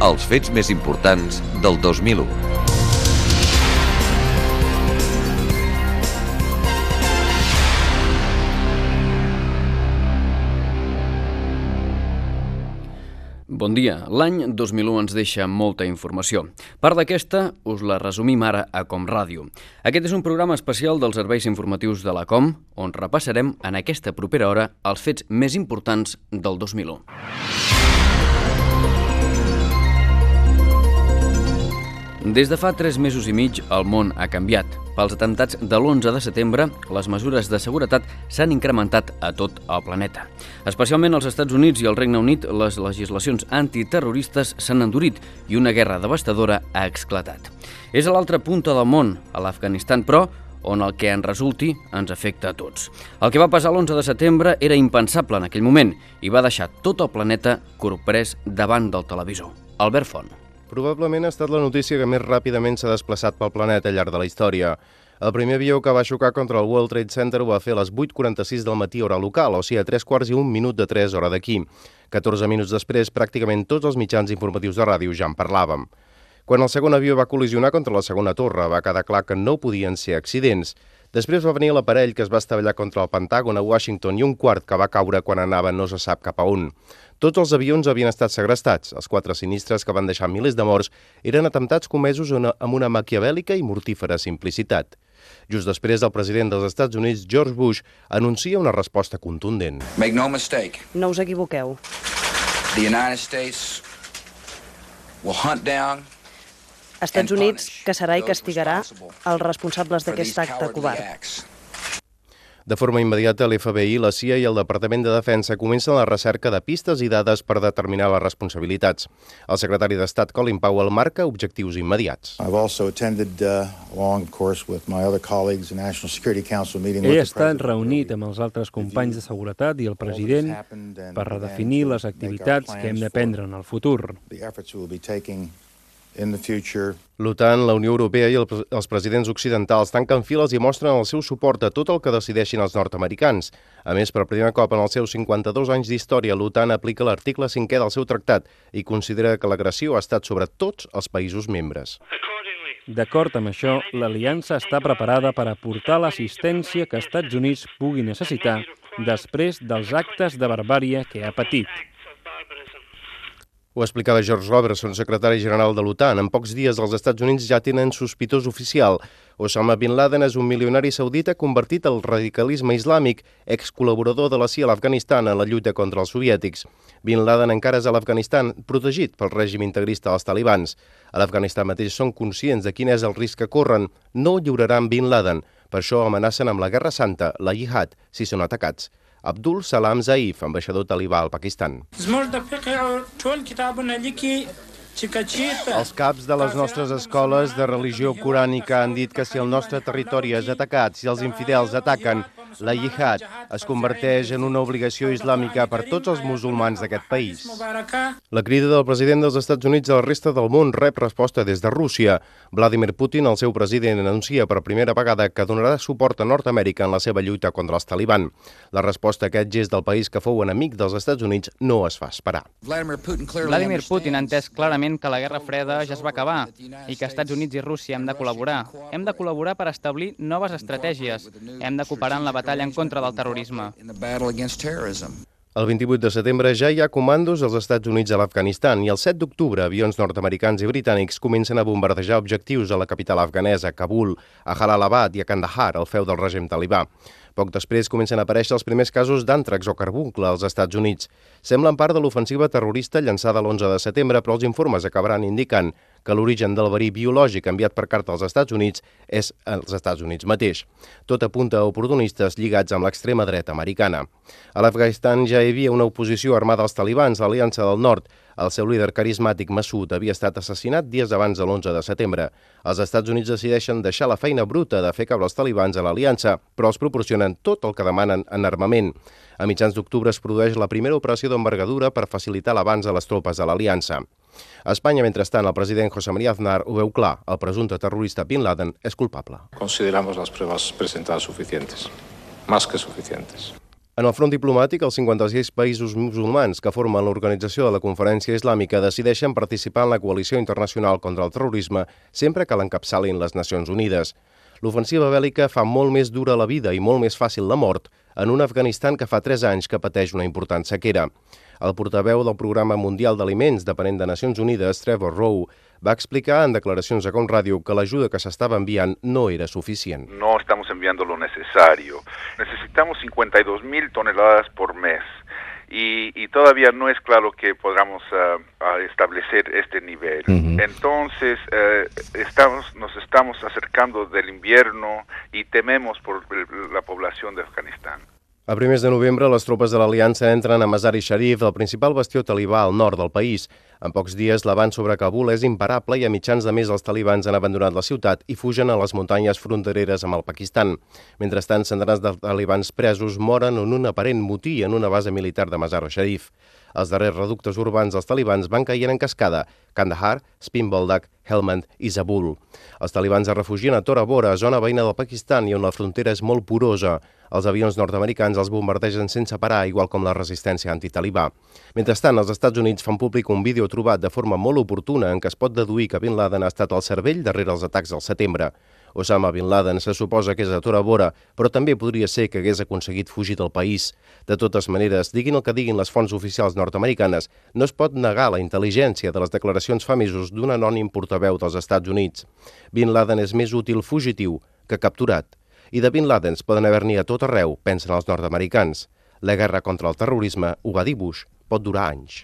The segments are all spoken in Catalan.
Els fets més importants del 2001. Bon dia. L'any 2001 ens deixa molta informació. Part d'aquesta us la resumim ara a Com Ràdio. Aquest és un programa especial dels serveis informatius de la Com, on repassarem en aquesta propera hora els fets més importants del 2001. Des de fa 3 mesos i mig, el món ha canviat. Pels atemptats de l'11 de setembre, les mesures de seguretat s'han incrementat a tot el planeta. Especialment als Estats Units i al Regne Unit, les legislacions antiterroristes s'han endurit i una guerra devastadora ha esclatat. És a l'altra punta del món, a l'Afganistan, però, on el que en resulti ens afecta a tots. El que va passar l'11 de setembre era impensable en aquell moment i va deixar tot el planeta corprès davant del televisor. Albert Font. Probablement ha estat la notícia que més ràpidament s'ha desplaçat pel planeta al llarg de la història. El primer avió que va xocar contra el World Trade Center ho va fer a les 8:46 del matí hora local, o sigui a 3:15 de 3 hora d'aquí. 14 minuts després, pràcticament tots els mitjans informatius de ràdio ja en parlàvem. Quan el segon avió va col·lisionar contra la segona torre, va quedar clar que no podien ser accidents. Després va venir l'aparell que es va estavellar contra el Pentàgon a Washington i un quart que va caure quan anava no se sap cap a on. Tots els avions havien estat segrestats. Els 4 sinistres que van deixar milers de morts eren atemptats comesos amb una maquiavèlica i mortífera simplicitat. Just després, el president dels Estats Units, George Bush, anuncia una resposta contundent. Make no mistake. No us equivoqueu. The United States will hunt down Estats Units caçarà i castigarà els responsables d'aquest acte covard. De forma immediata, l'FBI, la CIA i el Departament de Defensa comencen la recerca de pistes i dades per determinar les responsabilitats. El secretari d'Estat, Colin Powell, marca objectius immediats. He estat reunit amb els altres companys de seguretat i el president per redefinir les activitats que hem de prendre en el futur. L'OTAN, la Unió Europea i els presidents occidentals tanquen files i mostren el seu suport a tot el que decideixin els nord-americans. A més, per primer cop en els seus 52 anys d'història, l'OTAN aplica l'article 5è del seu tractat i considera que l'agressió ha estat sobre tots els països membres. D'acord amb això, l'aliança està preparada per aportar l'assistència que Estats Units pugui necessitar després dels actes de barbàrie que ha patit. Ho explicava George Robertson, secretari general de l'OTAN. En pocs dies els Estats Units ja tenen sospitós oficial. Osama Bin Laden és un milionari saudita convertit al radicalisme islàmic, excol·laborador de la CIA a l'Afganistan en la lluita contra els soviètics. Bin Laden encara és a l'Afganistan, protegit pel règim integrista dels talibans. A l'Afganistan mateix són conscients de quin és el risc que corren. No lliuraran Bin Laden. Per això amenacen amb la Guerra Santa, la Jihad, si són atacats. Abdul Salam Zaif, ambaixador talibà al Pakistan. Els caps de les nostres escoles de religió corànica han dit que si el nostre territori és atacat, si els infidels ataquen, la Jihad es converteix en una obligació islàmica per tots els musulmans d'aquest país. La crida del president dels Estats Units a la resta del món rep resposta des de Rússia. Vladimir Putin, el seu president, anuncia per primera vegada que donarà suport a Nord-Amèrica en la seva lluita contra els taliban. La resposta a aquest gest del país que fou enemic dels Estats Units no es fa esperar. Vladimir Putin ha entès clarament que la Guerra Freda ja es va acabar i que Estats Units i Rússia hem de col·laborar. Hem de col·laborar per establir noves estratègies. Hem de cooperar en la batalla en contra del terrorisme. El 28 de setembre ja hi ha comandos als Estats Units a l'Afganistan i el 7 d'octubre avions nord-americans i britànics comencen a bombardejar objectius a la capital afganesa, Kabul, a Jalalabad i a Kandahar, el feu del règim talibà. Poc després comencen a aparèixer els primers casos d'àntrax o carbuncle als Estats Units. Semblen part de l'ofensiva terrorista llançada l'11 de setembre, però els informes acabaran indicant que l'origen del verí biològic enviat per carta als Estats Units és als Estats Units mateix. Tot apunta a oportunistes lligats amb l'extrema dreta americana. A l'Afganistan ja hi havia una oposició armada als talibans, l'Aliança del Nord. El seu líder carismàtic, Massoud, havia estat assassinat dies abans de l'11 de setembre. Els Estats Units decideixen deixar la feina bruta de fer caure els talibans a l'aliança, però els proporcionen tot el que demanen en armament. A mitjans d'octubre es produeix la primera operació d'envergadura per facilitar l'avanç de les tropes de l'aliança. A Espanya, mentrestant, el president José María Aznar ho veu clar. El presumpte terrorista Bin Laden és culpable. Consideramos las pruebas presentadas suficientes, más que suficientes. En el front diplomàtic, els 56 països musulmans que formen l'Organització de la Conferència Islàmica decideixen participar en la coalició internacional contra el terrorisme sempre que l'encapçalin les Nacions Unides. L'ofensiva bèl·lica fa molt més dura la vida i molt més fàcil la mort en un Afganistan que fa 3 anys que pateix una important sequera. El portaveu del Programa Mundial d'Aliments, depenent de Nacions Unides, Trevor Rowe, va explicar en declaracions a Com Ràdio que l'ajuda que s'estava enviant no era suficient. No estamos enviando lo necesario. Necesitamos 52.000 toneladas por mes. Y todavía no es claro que podamos establecer este nivel. Entonces, nos estamos acercando del invierno y tememos por la población de Afganistán. A primers de novembre, les tropes de l'Aliança entren a Mazar-i-Sharif, el principal bastió talibà al nord del país. En pocs dies, l'avant sobre Kabul és imparable i a mitjans de mes els talibans han abandonat la ciutat i fugen a les muntanyes frontereres amb el Pakistan. Mentrestant, centenars de talibans presos moren en un aparent motí en una base militar de Mazar-i-Sharif. Els darrers reductes urbans dels talibans van caient en cascada: Kandahar, Spin Boldak, Helmand i Zabul. Els talibans es refugien a Tora Bora, zona veïna del Pakistan i on la frontera és molt porosa. Els avions nord-americans els bombardegen sense parar, igual com la resistència antitalibà. Mentrestant, els Estats Units fan públic un vídeo trobat de forma molt oportuna en què es pot deduir que Bin Laden ha estat al cervell darrere els atacs del setembre. Osama Bin Laden se suposa que és a Tora Bora, però també podria ser que hagués aconseguit fugir del país. De totes maneres, diguin el que diguin les fonts oficials nord-americanes, no es pot negar la intel·ligència de les declaracions fa mesos d'un anònim portaveu dels Estats Units. Bin Laden és més útil fugitiu que capturat. I de Bin Ladens poden haver-n'hi a tot arreu, pensen els nord-americans. La guerra contra el terrorisme, ho va dir Bush, pot durar anys.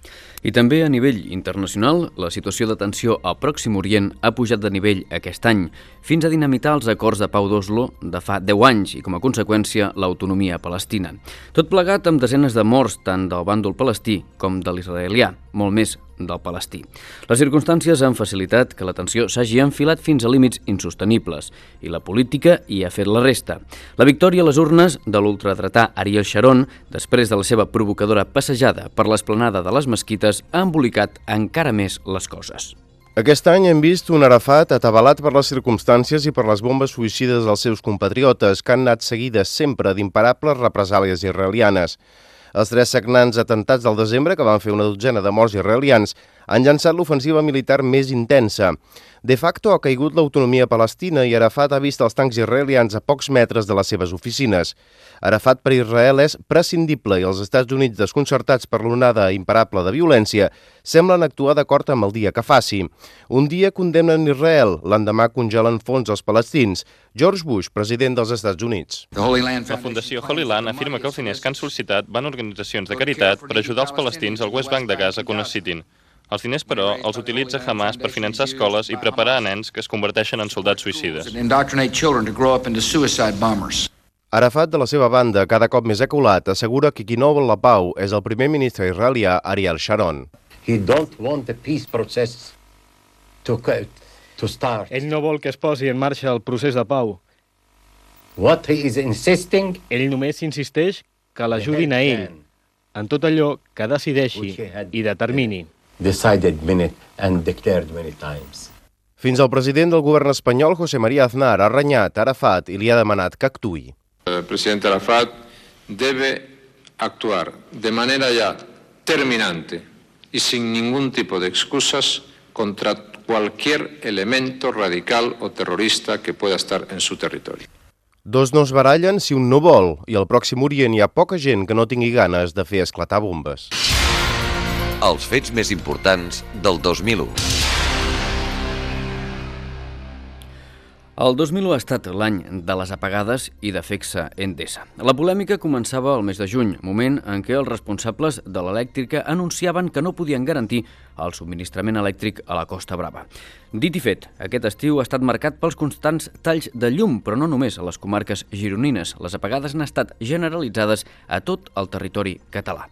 I també a nivell internacional, la situació de tensió al Pròxim Orient ha pujat de nivell aquest any, fins a dinamitar els acords de pau d'Oslo de fa 10 anys i, com a conseqüència, l'autonomia palestina. Tot plegat amb desenes de morts tant del bàndol palestí com de l'israelià, molt més del palestí. Les circumstàncies han facilitat que la tensió s'hagi enfilat fins a límits insostenibles i la política hi ha fet la resta. La victòria a les urnes de l'ultradretà Ariel Sharon, després de la seva provocadora passejada per l'esplanada de les mesquites, ha embolicat encara més les coses. Aquest any hem vist un Arafat atabalat per les circumstàncies i per les bombes suïcides dels seus compatriotes, que han anat seguides sempre d'imparables represàlies israelianes. Els 3 sagnants atentats del desembre, que van fer una dotzena de morts israelians, han llançat l'ofensiva militar més intensa. De facto ha caigut l'autonomia palestina i Arafat ha vist els tancs israelians a pocs metres de les seves oficines. Arafat per Israel és prescindible i els Estats Units, desconcertats per l'onada imparable de violència, semblen actuar d'acord amb el dia que faci. Un dia condemnen Israel, l'endemà congelen fons als palestins. George Bush, president dels Estats Units. La Fundació Holy Land afirma que els diners que han sol·licitat van a organitzacions de caritat per ajudar els palestins al West Bank de Gaza que ho necessitin. Els diners, però, els utilitza Hamas per finançar escoles i preparar a nens que es converteixen en soldats suïcides. Arafat, de la seva banda, cada cop més aculat, assegura que qui no vol la pau és el primer ministre israelià Ariel Sharon. Ell no vol que es posi en marxa el procés de pau. Ell només insisteix que l'ajudin a ell en tot allò que decideixi i determini. Fins al president del govern espanyol, José María Aznar, ha renyat Arafat i li ha demanat que actuï. El presidente Arafat debe actuar de manera ya terminante y sin ningún tipo de excusas contra cualquier elemento radical o terrorista que pueda estar en su territorio. Dos no es barallen si un no vol, i al Pròxim Orient hi ha poca gent que no tingui ganes de fer esclatar bombes. Els fets més importants del 2001. El 2001 ha estat l'any de les apagades i de FECSA Endesa. La polèmica començava el mes de juny, moment en què els responsables de l'elèctrica anunciaven que no podien garantir el subministrament elèctric a la Costa Brava. Dit i fet, aquest estiu ha estat marcat pels constants talls de llum, però no només a les comarques gironines. Les apagades han estat generalitzades a tot el territori català.